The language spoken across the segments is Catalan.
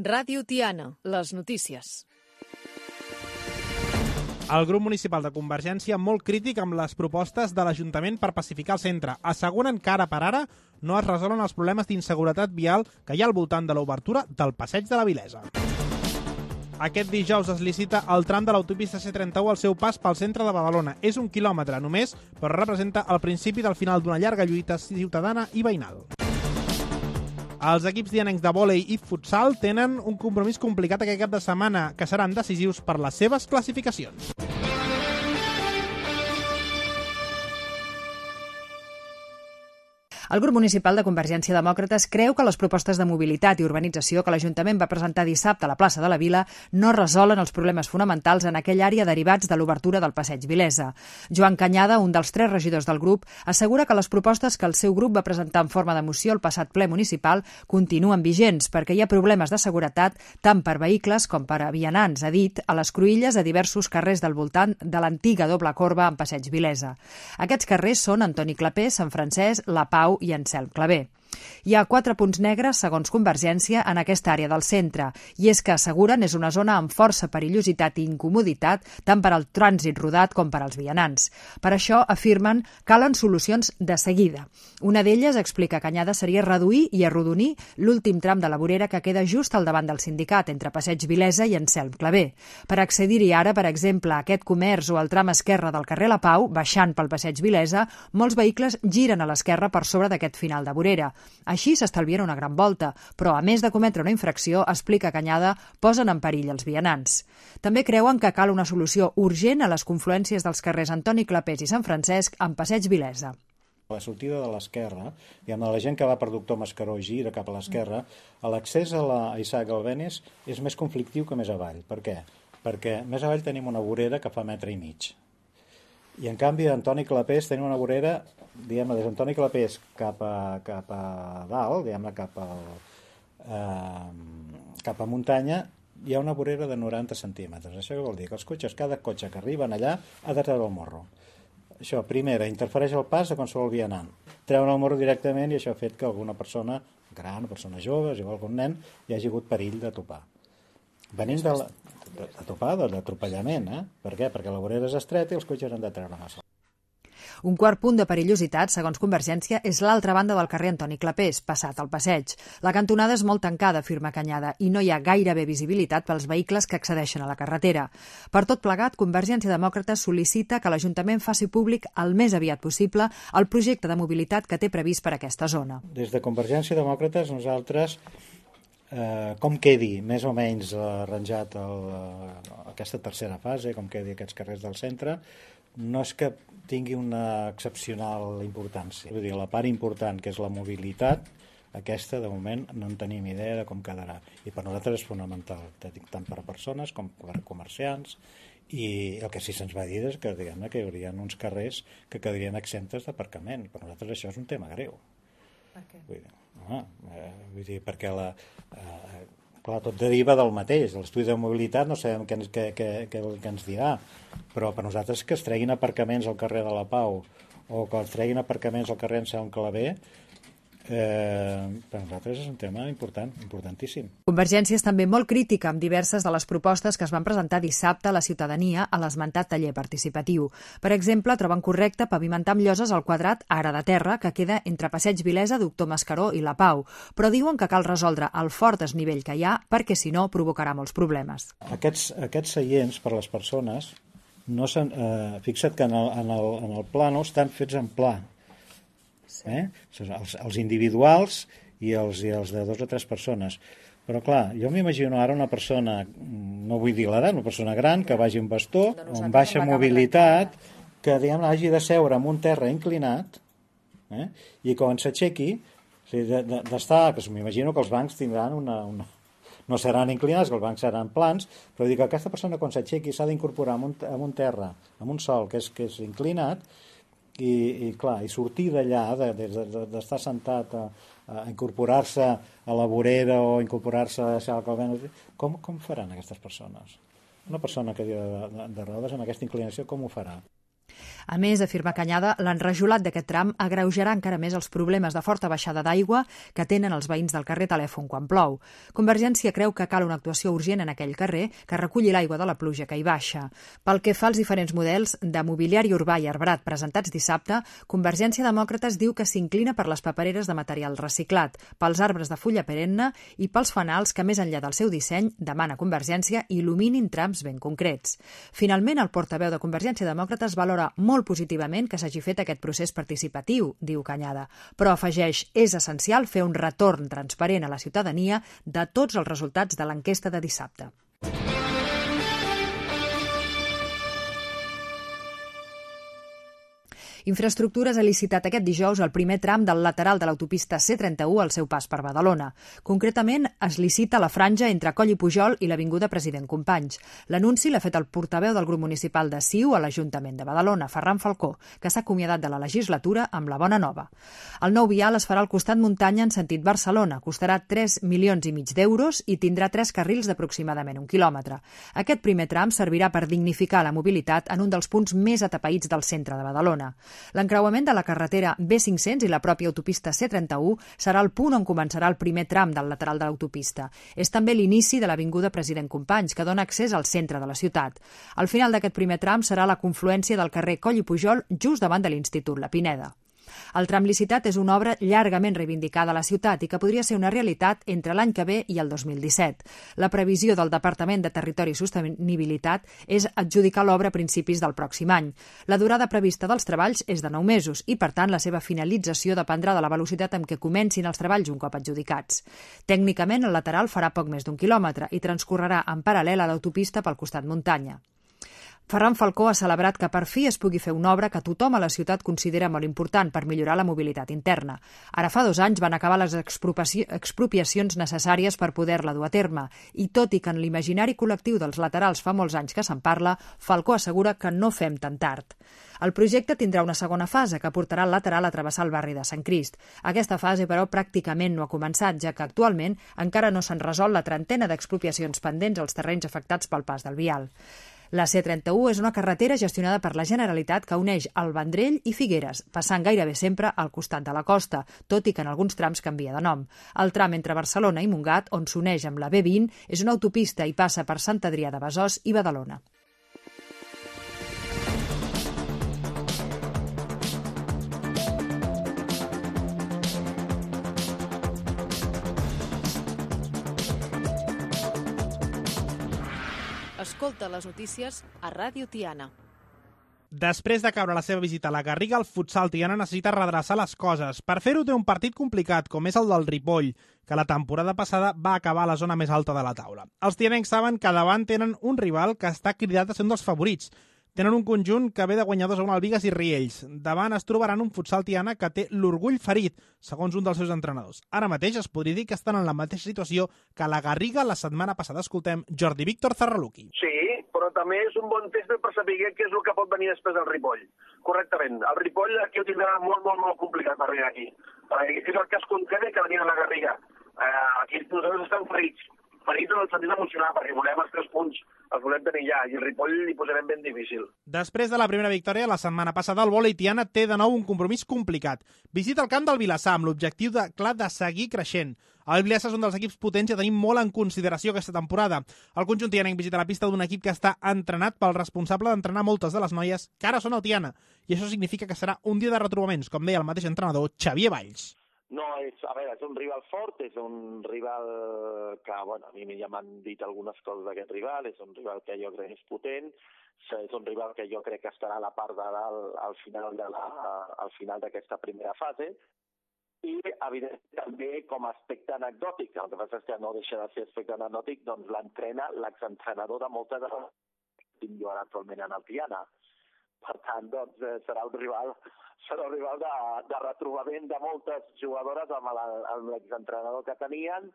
Ràdio Tiana, les notícies. El grup municipal de Convergència molt crític amb les propostes de l'Ajuntament per pacificar el centre. Asseguren que ara per ara no es resolen els problemes d'inseguretat vial que hi ha al voltant de l'obertura del Passeig de la Vilesa. Aquest dijous es licita el tram de l'autopista C31 al seu pas pel centre de Badalona. És 1 quilòmetre només, però representa el principi del final d'una llarga lluita ciutadana i veïnal. Els equips dianencs de vòlei i futsal tenen un compromís complicat aquest cap de setmana, que seran decisius per les seves classificacions. El grup municipal de Convergència Demòcrates creu que les propostes de mobilitat i urbanització que l'Ajuntament va presentar dissabte a la plaça de la Vila no resolen els problemes fonamentals en aquella àrea derivats de l'obertura del Passeig Vilesa. Joan Canyada, un dels 3 regidors del grup, assegura que les propostes que el seu grup va presentar en forma de moció al passat ple municipal continuen vigents perquè hi ha problemes de seguretat tant per vehicles com per a vianants, ha dit, a les cruïlles de diversos carrers del voltant de l'antiga doble corba en Passeig Vilesa. Aquests carrers són Antoni Clapé, Sant Francesc, La Pau i Anselm Clavé. Hi ha 4 punts negres, segons Convergència, en aquesta àrea del centre, i és que asseguren és una zona amb força perillositat i incomoditat tant per al trànsit rodat com per als vianants. Per això, afirmen, calen solucions de seguida. Una d'elles, explica Canyada, seria reduir i arrodonir l'últim tram de la vorera que queda just al davant del sindicat, entre Passeig Vilesa i Anselm Clavé. Per accedir-hi ara, per exemple, a aquest comerç o al tram esquerre del carrer La Pau, baixant pel Passeig Vilesa, molts vehicles giren a l'esquerra per sobre d'aquest final de vorera. Així s'estalvien una gran volta, però a més de cometre una infracció, explica Canyada, posen en perill els vianants. També creuen que cal una solució urgent a les confluències dels carrers Antoni Clapés i Sant Francesc amb Passeig Vilesa. A la sortida de l'esquerra, diguem-ne, la gent que va per Doctor Mascaró i gira cap a l'esquerra, l'accés a la Isaac Albéniz és més conflictiu que més avall. Per què? Perquè més avall tenim una vorera que fa 1,5 metres. I en canvi d'Antoni Clapés tenim una vorera, diguem-ne, des d'Antoni Clapés cap a dalt, diguem-ne, cap a muntanya, hi ha una vorera de 90 centímetres. Això què vol dir? Que els cotxes, cada cotxe que arriben allà ha de treure el morro. Això, primera, interfereix el pas de qualsevol vianant. Treuen el morro directament i això ha fet que alguna persona gran, persona jove, igual que un nen, hi hagi hagut perill de topar. Venim d'atropellament, Per què? Perquè la vorera és estreta i els cotxes han de treure massa. Un quart punt de perillositat, segons Convergència, és l'altra banda del carrer Antoni Clapés, passat al passeig. La cantonada és molt tancada, afirma Canyada, i no hi ha gairebé visibilitat pels vehicles que accedeixen a la carretera. Per tot plegat, Convergència Demòcrata sol·licita que l'Ajuntament faci públic el més aviat possible el projecte de mobilitat que té previst per aquesta zona. Des de Convergència Demòcrates, nosaltres, com quedi més o menys arranjat aquesta tercera fase, com quedi aquests carrers del centre, no és que tingui una excepcional importància. Vull dir, la part important, que és la mobilitat, aquesta, de moment, no en tenim idea de com quedarà. I per nosaltres és fonamental, tant per a persones com per a comerciants, i el que sí se'ns va dir és que, diguem-ne, que hi haurien uns carrers que quedarien exemptes d'aparcament. Per nosaltres això és un tema greu. Per què? Vull dir, perquè clar, tot deriva del mateix. L'estudi de mobilitat no sabem què ens dirà, però per nosaltres que es treguin aparcaments al carrer de la Pau o que es treguin aparcaments al carrer Anselm Clavé, per nosaltres és un tema importantíssim. Convergència és també molt crítica amb diverses de les propostes que es van presentar dissabte a la ciutadania a l'esmentat taller participatiu. Per exemple, troben correcte pavimentar amb lloses el quadrat ara de terra que queda entre Passeig Vilesa, Doctor Mascaró i La Pau, però diuen que cal resoldre el fort desnivell que hi ha perquè, si no, provocarà molts problemes. Aquests seients per a les persones, fixa't que en el plano estan fets en pla. Els individuals i els de 2 o 3 persones. Però clar, jo m'imagino ara una persona, no vull dir l'edat, una persona gran que vagi amb bastó, amb baixa mobilitat, que diguem, hagi de seure en un terra inclinat, i quan s'aixequi, d'estar, que m'imagino que els bancs tindran no seran inclinats, que els bancs seran plans, però dic que aquesta persona quan s'aixequi s'ha d'incorporar en un terra, en un sòl que és inclinat, i sortir d'allà, d'estar sentat a incorporar-se a la vorera o incorporar-se a la calvena, com faran aquestes persones? Una persona que de rodes amb aquesta inclinació, com ho farà? A més, afirma Cañada, l'enrajolat d'aquest tram agreujarà encara més els problemes de forta baixada d'aigua que tenen els veïns del carrer Telèfon quan plou. Convergència creu que cal una actuació urgent en aquell carrer que reculli l'aigua de la pluja que hi baixa. Pel que fa als diferents models de mobiliari urbà i arbrat presentats dissabte, Convergència Demòcrates diu que s'inclina per les papereres de material reciclat, pels arbres de fulla perenne i pels fanals que, més enllà del seu disseny, demana Convergència il·luminin trams ben concrets. Finalment, el portaveu de Convergència Demòcrates valora molt positivament que s'hagi fet aquest procés participatiu, diu Cañada, però afegeix és essencial fer un retorn transparent a la ciutadania de tots els resultats de l'enquesta de dissabte. Infraestructures ha licitat aquest dijous el primer tram del lateral de l'autopista C31 al seu pas per Badalona. Concretament, es licita la franja entre Coll i Pujol i l'Avinguda President Companys. L'anunci l'ha fet el portaveu del grup municipal de CiU a l'Ajuntament de Badalona, Ferran Falcó, que s'ha acomiadat de la legislatura amb la bona nova. El nou vial es farà al costat muntanya en sentit Barcelona, costarà 3,5 milions d'euros i tindrà 3 carrils d'aproximadament 1 quilòmetre. Aquest primer tram servirà per dignificar la mobilitat en un dels punts més atapeïts del centre de Badalona. L'encreuament de la carretera B500 i la pròpia autopista C31 serà el punt on començarà el primer tram del lateral de l'autopista. És també l'inici de l'Avinguda President Companys, que dona accés al centre de la ciutat. Al final d'aquest primer tram serà la confluència del carrer Coll i Pujol just davant de l'Institut La Pineda. El tram licitat és una obra llargament reivindicada a la ciutat i que podria ser una realitat entre l'any que ve i el 2017. La previsió del Departament de Territori i Sostenibilitat és adjudicar l'obra a principis del pròxim any. La durada prevista dels treballs és de 9 mesos i, per tant, la seva finalització dependrà de la velocitat amb què comencin els treballs un cop adjudicats. Tècnicament, el lateral farà poc més d'1 quilòmetre i transcorrerà en paral·lel a l'autopista pel costat muntanya. Ferran Falcó ha celebrat que per fi es pugui fer una obra que tothom a la ciutat considera molt important per millorar la mobilitat interna. Ara fa 2 anys van acabar les expropiacions necessàries per poder-la dur a terme i, tot i que en l'imaginari col·lectiu dels laterals fa molts anys que se'n parla, Falcó assegura que no fem tan tard. El projecte tindrà una segona fase que portarà el lateral a travessar el barri de Sant Crist. Aquesta fase, però, pràcticament no ha començat, ja que actualment encara no s'han resolt la trentena d'expropiacions pendents als terrenys afectats pel pas del vial. La C31 és una carretera gestionada per la Generalitat que uneix el Vendrell i Figueres, passant gairebé sempre al costat de la costa, tot i que en alguns trams canvia de nom. El tram entre Barcelona i Montgat, on s'uneix amb la B20, és una autopista i passa per Sant Adrià de Besòs i Badalona. Escolta les notícies a Ràdio Tiana. Després de caure la seva visita a la Garriga, el futsal tiana necessita redreçar les coses. Per fer-ho té un partit complicat, com és el del Ripoll, que la temporada passada va acabar a la zona més alta de la taula. Els tianencs saben que davant tenen un rival que està cridat a ser un dels favorits. Tenen un conjunt que ve de guanyadors a Albigues i Riells. Davant es trobaran un futsal tiana que té l'orgull ferit, segons un dels seus entrenadors. Ara mateix es podria dir que estan en la mateixa situació que la Garriga la setmana passada. Escoltem Jordi Víctor Zarraluki. Sí, però també és un bon test per saber què és el que pot venir després del Ripoll. Correctament. El Ripoll aquí ho tindrà molt complicat per arribar aquí. És el cas contrari que venir a la Garriga. Aquí nosaltres estem ferits en el sentit emocional, perquè volem els 3 punts, els volem tenir ja, i el Ripoll li posarem ben difícil. Després de la primera victòria, la setmana passada, el vòlei tiana té de nou un compromís complicat. Visita el camp del Vilassar amb l'objectiu clar de seguir creixent. El Vilassar és un dels equips potents i tenim molt en consideració aquesta temporada. El conjunt tianenc visita la pista d'un equip que està entrenat pel responsable d'entrenar moltes de les noies que ara són al Tiana, i això significa que serà un dia de retrobaments, com deia el mateix entrenador Xavier Valls. No, és un rival fort, és un rival que, bueno, a mi ja m'han dit algunes coses d'aquest rival, és un rival que jo crec que és potent, és un rival que jo crec que estarà a la part de dalt al final d'aquesta primera fase, i, evidentment, també com a aspecte anecdòtic, el que passa és que no deixa de ser aspecte anecdòtic, doncs l'entrena l'exentrenador de moltes de les que tinc jo ara actualment en el Tiana. Per tant, doncs, serà un rival de retrobament de moltes jugadores amb l'exentrenador que tenien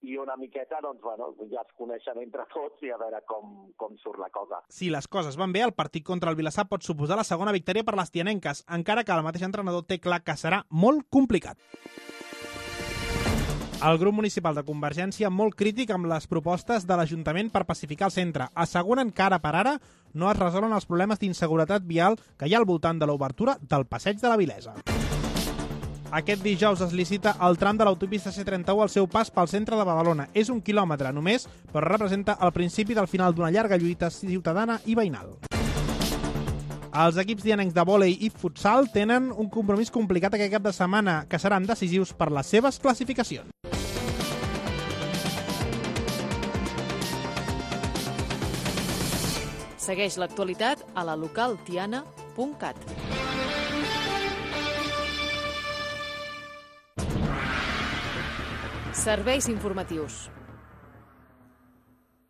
i una miqueta, doncs, bueno, ja es coneixen entre tots i a veure com surt la cosa. Si les coses van bé, el partit contra el Vilassar pot suposar la segona victòria per les tianenques, encara que el mateix entrenador té clar que serà molt complicat. El grup municipal de Convergència molt crític amb les propostes de l'Ajuntament per pacificar el centre. Asseguren que ara per ara no es resolen els problemes d'inseguretat vial que hi ha al voltant de l'obertura del Passeig de la Vilesa. Aquest dijous es licita el tram de l'autopista C31 al seu pas pel centre de Badalona. És 1 quilòmetre només, però representa el principi del final d'una llarga lluita ciutadana i veïnal. Els equips dianencs de vòlei i futsal tenen un compromís complicat aquest cap de setmana, que seran decisius per les seves classificacions. Segueix l'actualitat a la localtiana.cat. Serveis informatius.